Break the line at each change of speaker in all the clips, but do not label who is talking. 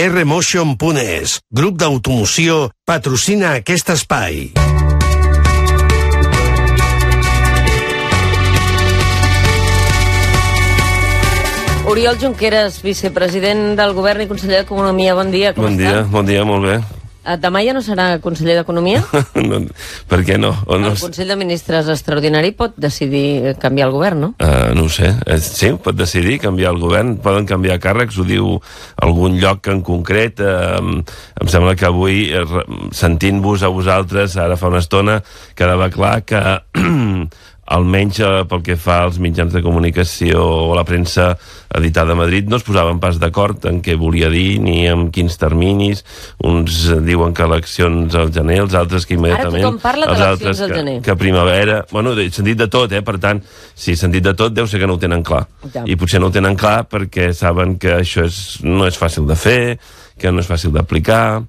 rmotion.es, grup d'automoció, patrocina aquest espai.
Oriol Junqueras, vicepresident del Govern i conseller d'Economia. Bon dia, com està?
Bon dia, molt bé.
Demà ja no serà conseller d'Economia?
No, per què no?
El Consell de Ministres extraordinari pot decidir canviar el govern, no?
No ho sé. Sí, pot decidir canviar el govern. Poden canviar càrrecs, ho diu algun lloc en concret. Em sembla que avui, sentint-vos a vosaltres, ara fa una estona, quedava clar que almenys pel que fa als mitjans de comunicació o la premsa editada a Madrid, no es posaven pas d'acord en què volia dir ni en quins terminis. Uns diuen que eleccions al gener, els altres que immediatament...
Ara tothom parla d'eleccions al gener.
Que primavera... Bueno, he sentit de tot, per tant, si he sentit de tot, deu ser que no ho tenen clar. Ja. I potser no ho tenen clar perquè saben que això no és fàcil de fer, que no és fàcil d'aplicar,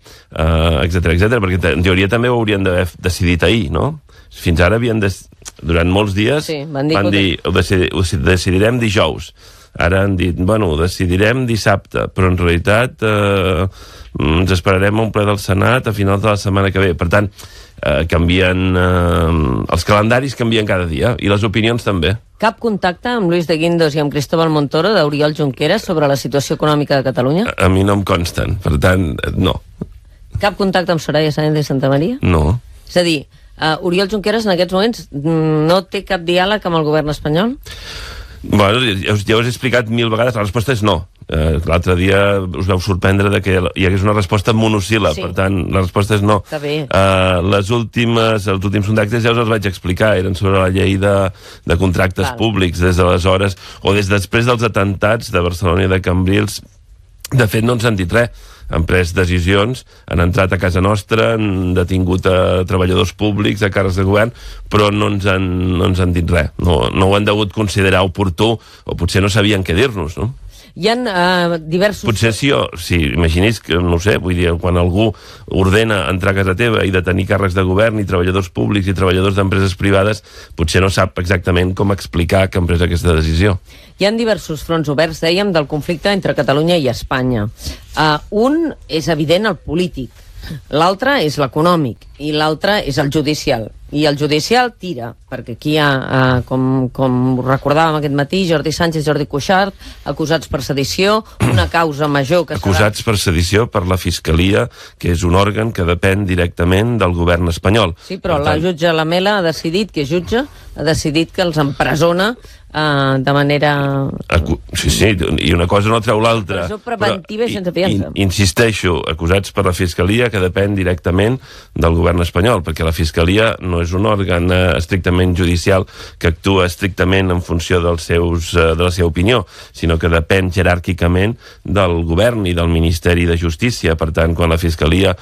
etc, perquè en teoria també ho haurien d'haver decidit ahir, no? Fins ara durant molts dies van dir ho decidirem dijous. Ara han dit, ho decidirem dissabte, però en realitat ens esperarem a un ple del Senat a finals de la setmana que ve. Per tant, canvien els calendaris, canvien cada dia, i les opinions també.
Cap contacte amb Luis de Guindos i amb Cristóbal Montoro d'Oriol Junqueras sobre la situació econòmica de Catalunya?
A mi no em consten, per tant, no.
Cap contacte amb Soraya Sáenz de Santamaría?
No.
És a dir, Oriol Junqueras en aquests moments no té cap diàleg amb el govern espanyol?
Bueno, ja us he explicat 1000 vegades, la resposta és no. L'altre dia us vau sorprendre de que hi hagués una resposta monosíl·lab, per tant, la resposta és no.
Està bé.
Els últims contactes ja us els vaig explicar, eren sobre la llei de contractes públics des d'aleshores, o des després dels atentats de Barcelona i de Cambrils. De fet, no ens han dit res. Han pres decisions, han entrat a casa nostra, han detingut a treballadors públics, a càrrecs de govern, però no ens han dit res. No ho han degut considerar oportú, o potser no sabien què dir-nos, no?
Hi ha diversos...
Potser si imagini's que, no sé, vull dir, quan algú ordena entrar a casa teva i detenir càrrecs de govern i treballadors públics i treballadors d'empreses privades, potser no sap exactament com explicar que han pres aquesta decisió.
Hi ha diversos fronts oberts, dèiem, del conflicte entre Catalunya i Espanya. Un és evident, el polític. L'altre és l'econòmic i l'altre és el judicial. I el judicial tira, perquè aquí hi ha, com recordàvem aquest matí, Jordi Sánchez i Jordi Cuixart, acusats per sedició, una causa major que
acusats per sedició per la Fiscalia, que és un òrgan que depèn directament del govern espanyol.
Sí, però la jutge Lamela ha decidit, que és jutge, ha decidit que els empresona de manera...
Sí, i una cosa no treu l'altra.
Presó preventiva i sense fiança.
Insisteixo, acusats per la Fiscalia, que depèn directament del govern espanyol, perquè la Fiscalia no és un òrgan estrictament judicial que actua estrictament en funció de la seva opinió, sinó que depèn jeràrquicament del govern i del Ministeri de Justícia. Per tant, quan la Fiscalia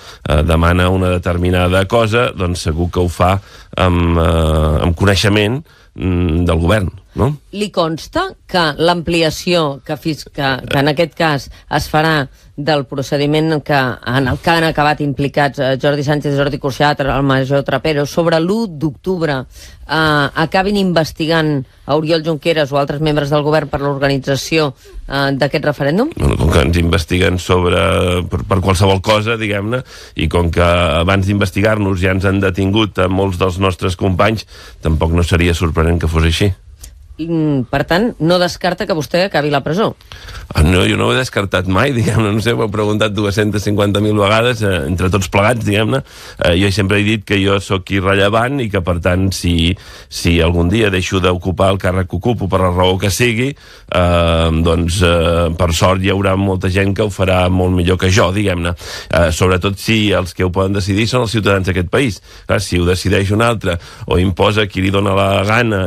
demana una determinada cosa, doncs segur que ho fa amb coneixement del govern, no?
Li consta que l'ampliació que en aquest cas es farà del procediment en el que han acabat implicats Jordi Sánchez, Jordi Cuixart, el major Trapero, sobre l'1 d'octubre acabin investigant a Oriol Junqueras o altres membres del govern per l'organització d'aquest referèndum?
Com que ens investiguen per qualsevol cosa, diguem-ne, i com que abans d'investigar-nos ja ens han detingut a molts dels nostres companys, tampoc no seria sorprenent que fos així.
Per tant, no descarta que vostè acabi la presó?
No, jo no ho he descartat mai, diguem-ne, no sé, ho he preguntat 250.000 vegades, entre tots plegats, diguem-ne. Jo sempre he dit que jo sóc irrellevant i que, per tant, si algun dia deixo d'ocupar el càrrec que ocupo per la raó que sigui, doncs, per sort hi haurà molta gent que ho farà molt millor que jo, diguem-ne. Sobretot si els que ho poden decidir són els ciutadans d'aquest país. Si ho decideix un altre o imposa qui li dona la gana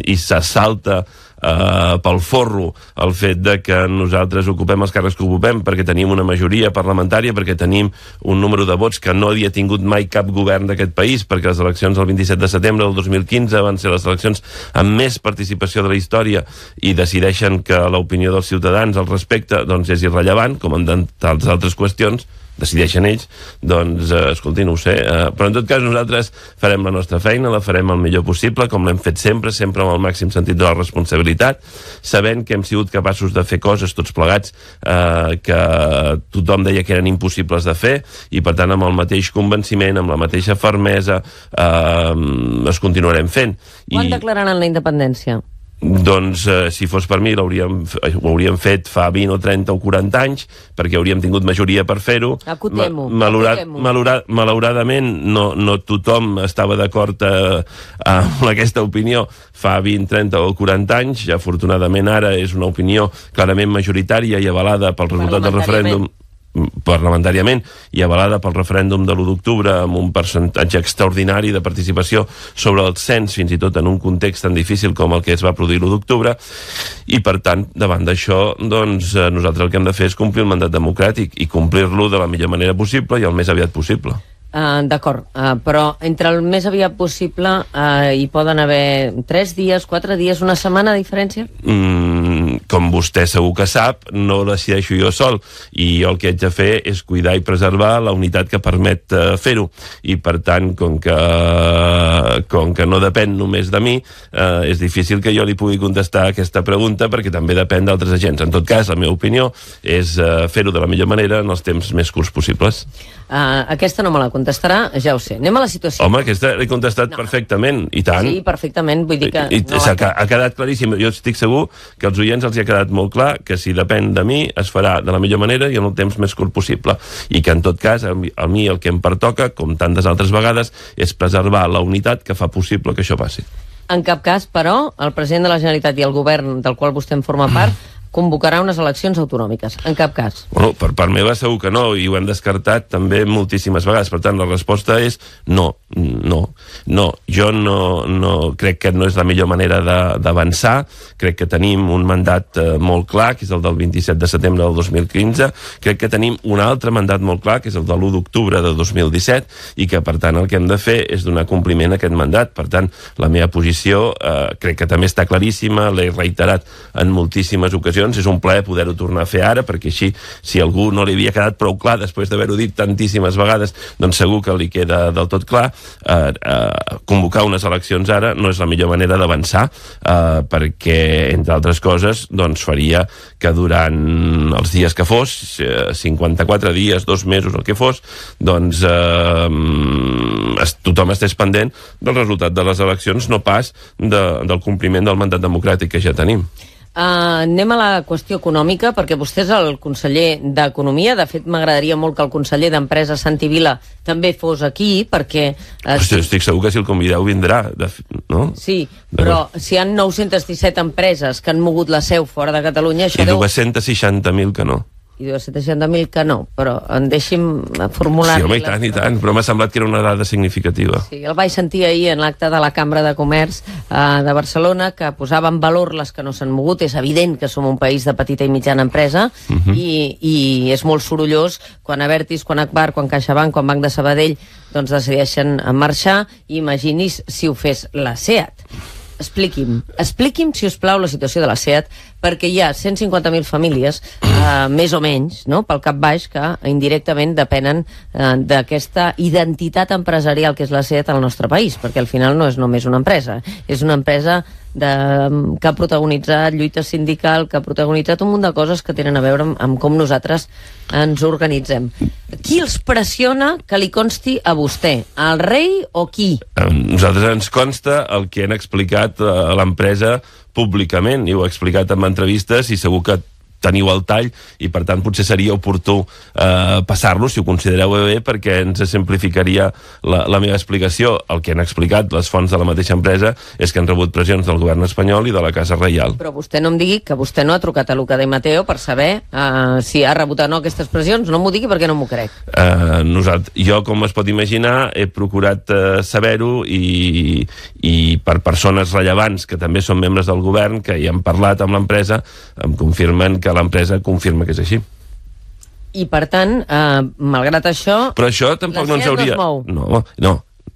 i salta pel forro el fet de que nosaltres ocupem els càrrecs que ocupem perquè tenim una majoria parlamentària, perquè tenim un número de vots que no havia tingut mai cap govern d'aquest país, perquè les eleccions del 27 de setembre del 2015 van ser les eleccions amb més participació de la història i decideixen que l'opinió dels ciutadans al respecte doncs és irrellevant, com en tantes altres qüestions. decideixen ells, doncs, escolti, no ho sé. Però en tot cas nosaltres farem la nostra feina, la farem el millor possible, com l'hem fet sempre amb el màxim sentit de la responsabilitat, sabent que hem sigut capaços de fer coses tots plegats que tothom deia que eren impossibles de fer, i per tant amb el mateix convenciment, amb la mateixa fermesa, es continuarem fent.
Quan declararan la independència?
Doncs, si fos per mi, ho hauríem fet fa 20 o 30 o 40 anys, perquè hauríem tingut majoria per fer-ho.
Acotem-ho.
Malauradament, no tothom estava d'acord amb aquesta opinió fa 20, 30 o 40 anys. Ja, afortunadament, ara és una opinió clarament majoritària i avalada pel resultat del referèndum parlamentàriament i avalada pel referèndum de l'1 d'octubre amb un percentatge extraordinari de participació sobre el cens, fins i tot en un context tan difícil com el que es va produir l'1 d'octubre, i per tant, davant d'això, doncs nosaltres el que hem de fer és complir el mandat democràtic i complir-lo de la millor manera possible i el més aviat possible.
D'acord, però entre el més aviat possible hi poden haver 3 dies, 4 dies, una setmana de diferència?
Com vostè segur que sap, no ho decideixo jo sol, i jo el que haig de fer és cuidar i preservar la unitat que permet fer-ho, i per tant, com que no depèn només de mi, és difícil que jo li pugui contestar aquesta pregunta, perquè també depèn d'altres agents. En tot cas, la meva opinió és fer-ho de la millor manera en els temps més curts possibles.
Aquesta no me la contestarà, ja ho sé. Anem a la situació.
Home, aquesta l'he contestat perfectament, i tant.
Sí, perfectament, vull dir que...
Ha quedat claríssim. Jo estic segur que als oients els hi ha quedat molt clar que si depèn de mi es farà de la millor manera i en el temps més curt possible. I que en tot cas, a mi el que em pertoca, com tantes altres vegades, és preservar la unitat que fa possible que això passi.
En cap cas, però, el president de la Generalitat i el govern del qual vostè en forma part convocarà unes eleccions autonòmiques. En cap cas.
Bueno, per part meva segur que no, i ho hem descartat també moltíssimes vegades. Per tant, la resposta és no. Jo no crec que no és la millor manera d'avançar. Crec que tenim un mandat molt clar, que és el del 27 de setembre del 2015. Crec que tenim un altre mandat molt clar, que és el de l'1 d'octubre de 2017, i que, per tant, el que hem de fer és donar compliment a aquest mandat. Per tant, la meva posició crec que també està claríssima, l'he reiterat en moltíssimes ocasions. És un plaer poder-ho tornar a fer ara, perquè així, si algú no li havia quedat prou clar després d'haver-ho dit tantíssimes vegades, doncs segur que li queda del tot clar. Convocar unes eleccions ara no és la millor manera d'avançar, perquè, entre altres coses, doncs faria que durant els dies que fos, 54 dies, 2 mesos, el que fos, doncs tothom estés pendent del resultat de les eleccions, no pas del compliment del mandat democràtic que ja tenim.
Anem a la qüestió econòmica, perquè vostè és el conseller d'Economia. De fet, m'agradaria molt que el conseller d'Empresa, Santi Vila, també fos aquí, perquè...
Estic segur que si el convideu vindrà, no?
Sí, però si hi ha 917 empreses que han mogut la seu fora de Catalunya...
I 260.000 que no.
I 260.000 que no, però deixi'm formular...
Sí, home, i tant, però m'ha semblat que era una dada significativa.
Sí, el vaig sentir ahir en l'acte de la Cambra de Comerç de Barcelona, que posava en valor les que no s'han mogut. És evident que som un país de petita i mitjana empresa, i és molt sorollós quan Abertis, quan Agbar, quan CaixaBank, quan Banc de Sabadell doncs decideixen marxar, i imagini's si ho fes la SEAT. Expliqui'm, si us plau, la situació de la SEAT, perquè hi ha 150.000 famílies, més o menys, no?, pel cap baix, que indirectament depenen d'aquesta identitat empresarial que és la SEAT al nostre país, perquè al final no és només una empresa, és una empresa que ha protagonitzat lluita sindical, que ha protagonitzat un munt de coses que tenen a veure amb com nosaltres ens organitzem. Qui els pressiona que li consti a vostè? El rei o qui?
Nosaltres ens consta el que han explicat a l'empresa públicament, i ho ha explicat en entrevistes, i segur que teniu el tall, i per tant potser seria oportú passar-lo, si ho considereu bé, perquè ens simplificaria la meva explicació. El que han explicat les fonts de la mateixa empresa és que han rebut pressions del govern espanyol i de la Casa Reial.
Però vostè no em digui que vostè no ha trucat a Luca Di Matteo per saber si ha rebut o no aquestes pressions. No m'ho digui perquè no m'ho crec.
Jo, com es pot imaginar, he procurat saber-ho, i per persones rellevants que també són membres del govern, que hi han parlat amb l'empresa, em confirmen que l'empresa confirma que és així.
I per tant, malgrat això...
Però això tampoc no ens hauria...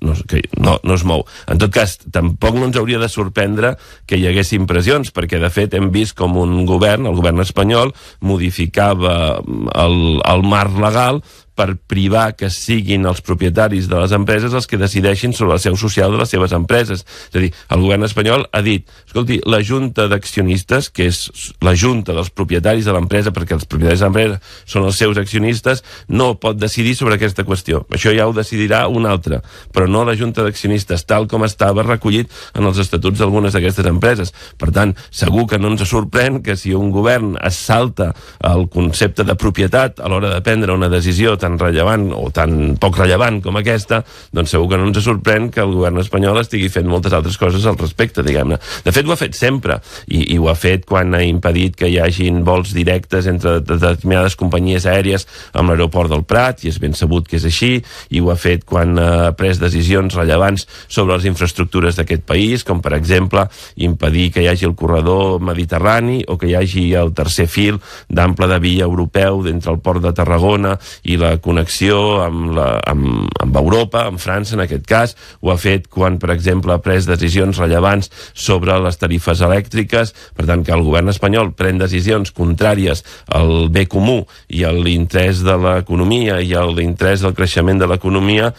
No es mou. En tot cas, tampoc no ens hauria de sorprendre que hi haguessin pressions, perquè de fet hem vist com un govern, el govern espanyol, modificava el marc legal per privar que siguin els propietaris de les empreses els que decideixin sobre la seu social de les seves empreses. És a dir, el govern espanyol ha dit, escolti, la junta d'accionistes, que és la junta dels propietaris de l'empresa, perquè els propietaris de l'empresa són els seus accionistes, no pot decidir sobre aquesta qüestió. Això ja ho decidirà un altre, però no la junta d'accionistes, tal com estava recollit en els estatuts d'algunes d'aquestes empreses. Per tant, segur que no ens sorprèn que si un govern es salta el concepte de propietat a l'hora de prendre una decisió tan rellevant o tan poc rellevant com aquesta, doncs segur que no ens sorprèn que el govern espanyol estigui fent moltes altres coses al respecte, diguem-ne. De fet, ho ha fet sempre, i ho ha fet quan ha impedit que hi hagin vols directes entre determinades companyies aèries amb l'aeroport del Prat, i és ben sabut que és així, i ho ha fet quan ha pres decisions rellevants sobre les infraestructures d'aquest país, com per exemple impedir que hi hagi el corredor mediterrani o que hi hagi el tercer fil d'ample de via europeu entre el port de Tarragona i la connexió amb Europa, amb França en aquest cas. Ho ha fet quan, per exemple, ha pres decisions rellevants sobre les tarifes elèctriques. Per tant, que el govern espanyol pren decisions contràries al bé comú i a l'interès de l'economia i a l'interès del creixement de l'economia,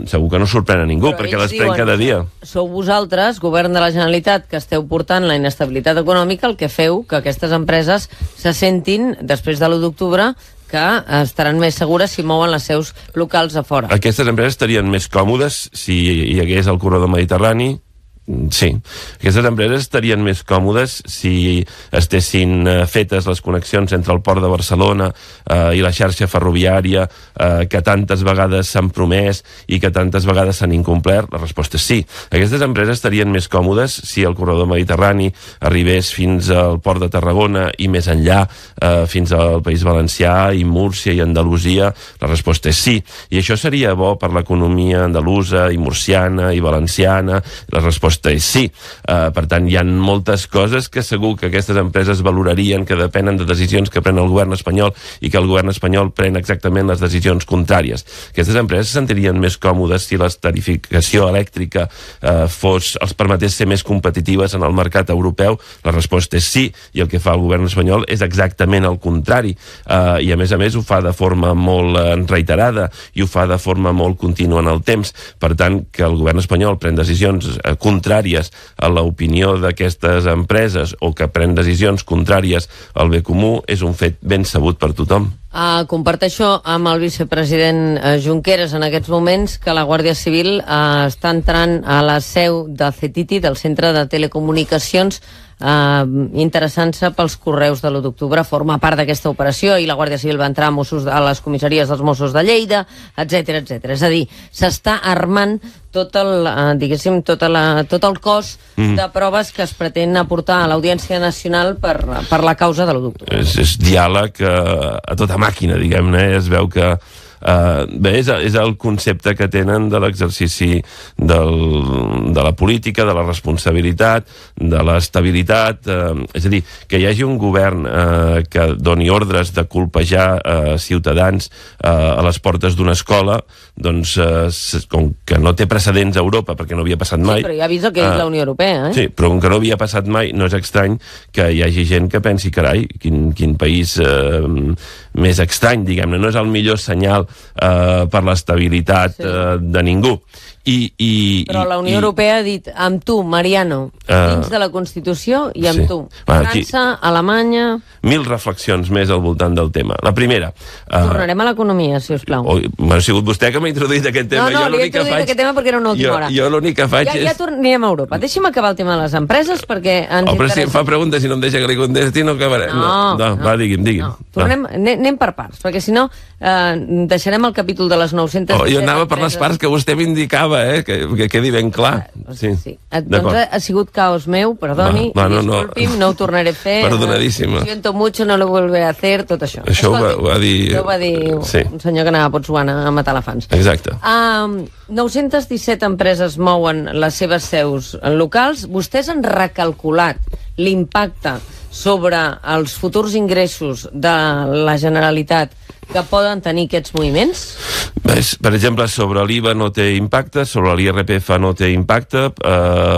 segur que no sorprèn a ningú,
però
perquè les pren cada dia.
Sou vosaltres, govern de la Generalitat, que esteu portant la inestabilitat econòmica, el que feu que aquestes empreses se sentin, després de l'1 d'octubre, que estaran més segures si mouen les seus locals a fora.
Aquestes empreses estarien més còmodes si hi hagués el corredor mediterrani. Sí, aquestes empreses estarien més còmodes si estessin fetes les connexions entre el port de Barcelona i la xarxa ferroviària que tantes vegades s'han promès i que tantes vegades s'han incomplert. La resposta és sí. Aquestes empreses estarien més còmodes si el corredor mediterrani arribés fins al port de Tarragona i més enllà, fins al País Valencià i Múrcia i Andalusia. La resposta és sí. I això seria bo per l'economia andalusa i murciana i valenciana. La resposta és sí. Per tant, hi ha moltes coses que segur que aquestes empreses valorarien, que depenen de decisions que pren el govern espanyol i que el govern espanyol pren exactament les decisions contràries. Aquestes empreses se sentirien més còmodes si la tarificació elèctrica els permetés ser més competitives en el mercat europeu. La resposta és sí, i el que fa el govern espanyol és exactament el contrari. I a més ho fa de forma molt reiterada i ho fa de forma molt contínua en el temps. Per tant, que el govern espanyol pren decisions contràries a l'opinió d'aquestes empreses o que pren decisions contràries al bé comú és un fet ben sabut per tothom.
Comparteixo amb el vicepresident Junqueras en aquests moments que la Guàrdia Civil està entrant a la seu de CETITI, del Centre de Telecomunicacions, interessant-se pels correus de l'1 d'octubre. Forma part d'aquesta operació i la Guàrdia Civil va entrar a les comissaries dels Mossos de Lleida, etc etc. És a dir, s'està armant tot el cos de proves que es pretén aportar a l'Audiència Nacional per la causa de l'1 d'octubre.
És diàleg a tota màquina, diguem-ne. Es veu que bé, és el concepte que tenen de l'exercici de la política, de la responsabilitat, de l'estabilitat. És a dir, que hi hagi un govern que doni ordres de colpejar ciutadans a les portes d'una escola, doncs com que no té precedents a Europa, perquè no havia passat mai.
Sí, però ja ha vist el que és la Unió Europea,
Sí, però com que no havia passat mai, no és estrany que hi hagi gent que pensi, carai, quin país més estrany, diguem-ne. No és el millor senyal per l'estabilitat de ningú.
Però la Unió Europea ha dit amb tu, Mariano, dins de la Constitució i amb tu. França, Alemanya...
1000 reflexions més al voltant del tema. La primera...
Tornarem a l'economia, si us plau.
Ha sigut vostè que m'ha introduït aquest tema.
No, li he introduït aquest tema perquè era una última hora.
Jo l'únic que faig és...
Ja tornem a Europa. Deixi'm acabar el tema de les empreses perquè ens
interessa...
Però
si em fa preguntes i no em deixa que li contesti, no acabarem. No, va, digui'm.
Anem per parts, perquè si no deixarem el capítol de les 900...
Jo anava per les parts que vostè m'indicava, que quedi ben clar.
Sí. Doncs ha sigut caos meu, perdoni, disculpi'm, no ho tornaré a fer.
Perdonadíssima.
Siento mucho, no lo volveré a hacer, tot això.
Això ho va dir...
Ho va dir un senyor que anava a Botswana a matar elefants.
Exacte.
917 empreses mouen les seves seus locals. Vostès han recalculat l'impacte sobre els futurs ingressos de la Generalitat que poden tenir aquests moviments?
Per exemple, sobre l'IVA no té impacte, sobre l'IRPF no té impacte,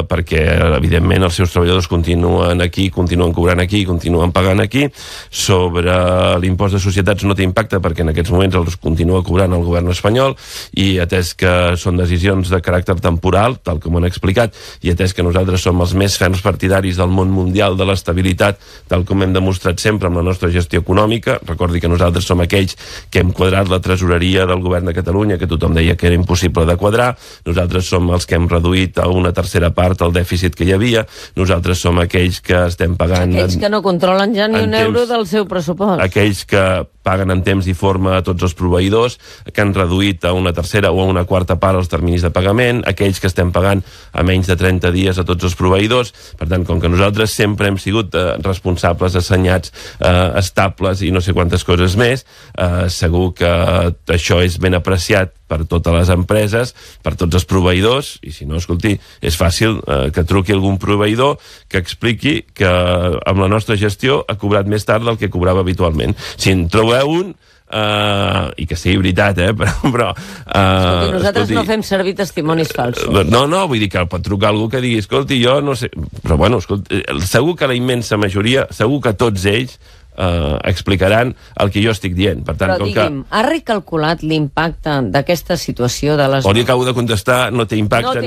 perquè, evidentment, els seus treballadors continuen aquí, continuen cobrant aquí, continuen pagant aquí. Sobre l'impost de societats no té impacte, perquè en aquests moments els continua cobrant el govern espanyol, i atès que són decisions de caràcter temporal, tal com han explicat, i atès que nosaltres som els més ferms partidaris del món mundial de l'estabilitat, tal com hem demostrat sempre amb la nostra gestió econòmica. Recordi que nosaltres som aquells que hem quadrat la tresoreria del govern de Catalunya, que tothom deia que era impossible de quadrar. Nosaltres som els que hem reduït a una tercera part el dèficit que hi havia. Nosaltres som aquells que estem pagant...
Aquells que no controlen ja ni un euro del seu pressupost.
Aquells que paguen en temps i forma a tots els proveïdors, que han reduït a una tercera o a una quarta part els terminis de pagament, aquells que estem pagant a menys de 30 dies a tots els proveïdors. Per tant, com que nosaltres sempre hem sigut responsables, assenyats, estables i no sé quantes coses més, segur que això és ben apreciat per totes les empreses, per tots els proveïdors, i si no, escolti, és fàcil que truqui algun proveïdor que expliqui que amb la nostra gestió ha cobrat més tard del que cobrava habitualment. Si en trobeu un, i que sigui veritat, però
escolti, nosaltres no fem servir testimonis falsos.
No, vull dir que pot trucar algú que digui, escolti, jo no sé, però bueno, escolti, segur que la immensa majoria, segur que tots ells explicaran el que jo estic dient. Per tant,
però digui'm, ha recalculat l'impacte d'aquesta situació de les...
Li acabo de contestar, no té impacte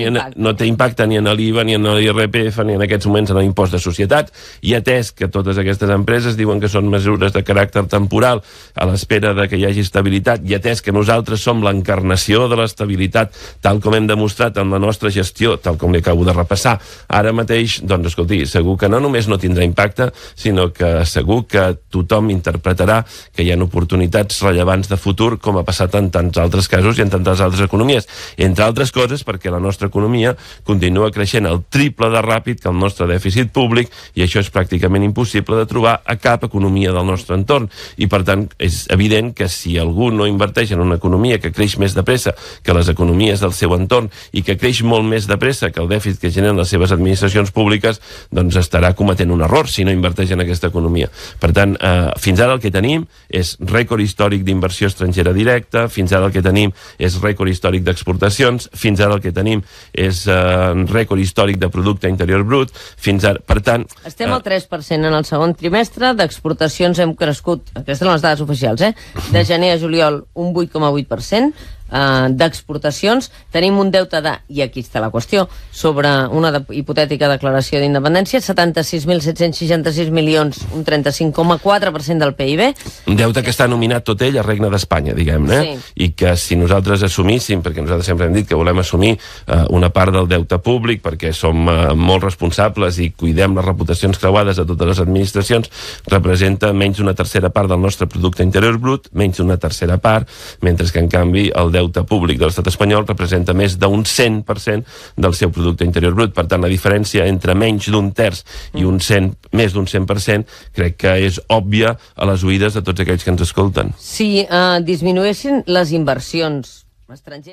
ni en l'IVA, ni en l'IRPF, ni en aquests moments en l'impost de societats, i atès que totes aquestes empreses diuen que són mesures de caràcter temporal a l'espera de que hi hagi estabilitat, i atès que nosaltres som l'encarnació de l'estabilitat, tal com hem demostrat en la nostra gestió, tal com li acabo de repassar ara mateix, doncs escolti, segur que no només no tindrà impacte, sinó que segur que tothom interpretarà que hi ha oportunitats rellevants de futur, com ha passat en tants altres casos i en tantes altres economies. Entre altres coses, perquè la nostra economia continua creixent el triple de ràpid que el nostre dèficit públic, i això és pràcticament impossible de trobar a cap economia del nostre entorn. I, per tant, és evident que si algú no inverteix en una economia que creix més de pressa que les economies del seu entorn i que creix molt més de pressa que el dèficit que generen les seves administracions públiques, doncs estarà cometent un error si no inverteix en aquesta economia. Per tant, fins ara el que tenim és rècord històric d'inversió estrangera directa, fins ara el que tenim és rècord històric d'exportacions, fins ara el que tenim és rècord històric de producte interior brut, fins ara, per tant...
Estem al 3% en el segon trimestre, d'exportacions hem crescut, aquestes són les dades oficials, de gener a juliol un 8,8%, d'exportacions, tenim un deute de, i aquí està la qüestió, sobre una hipotètica declaració d'independència, 76.766 milions, un 35,4% del PIB.
Un deute que està nominat tot ell a Regne d'Espanya, diguem-ne, i que si nosaltres assumíssim, perquè nosaltres sempre hem dit que volem assumir una part del deute públic, perquè som molt responsables i cuidem les reputacions creuades de totes les administracions, representa menys d'una tercera part del nostre producte interior brut, menys d'una tercera part, mentre que en canvi el deute públic de l'estat espanyol representa més d'un 100% del seu producte interior brut. Per tant, la diferència entre menys d'un terç i més d'un 100% crec que és òbvia a les oïdes de tots aquells que ens escolten.
Si disminuessin les inversions estrangeres...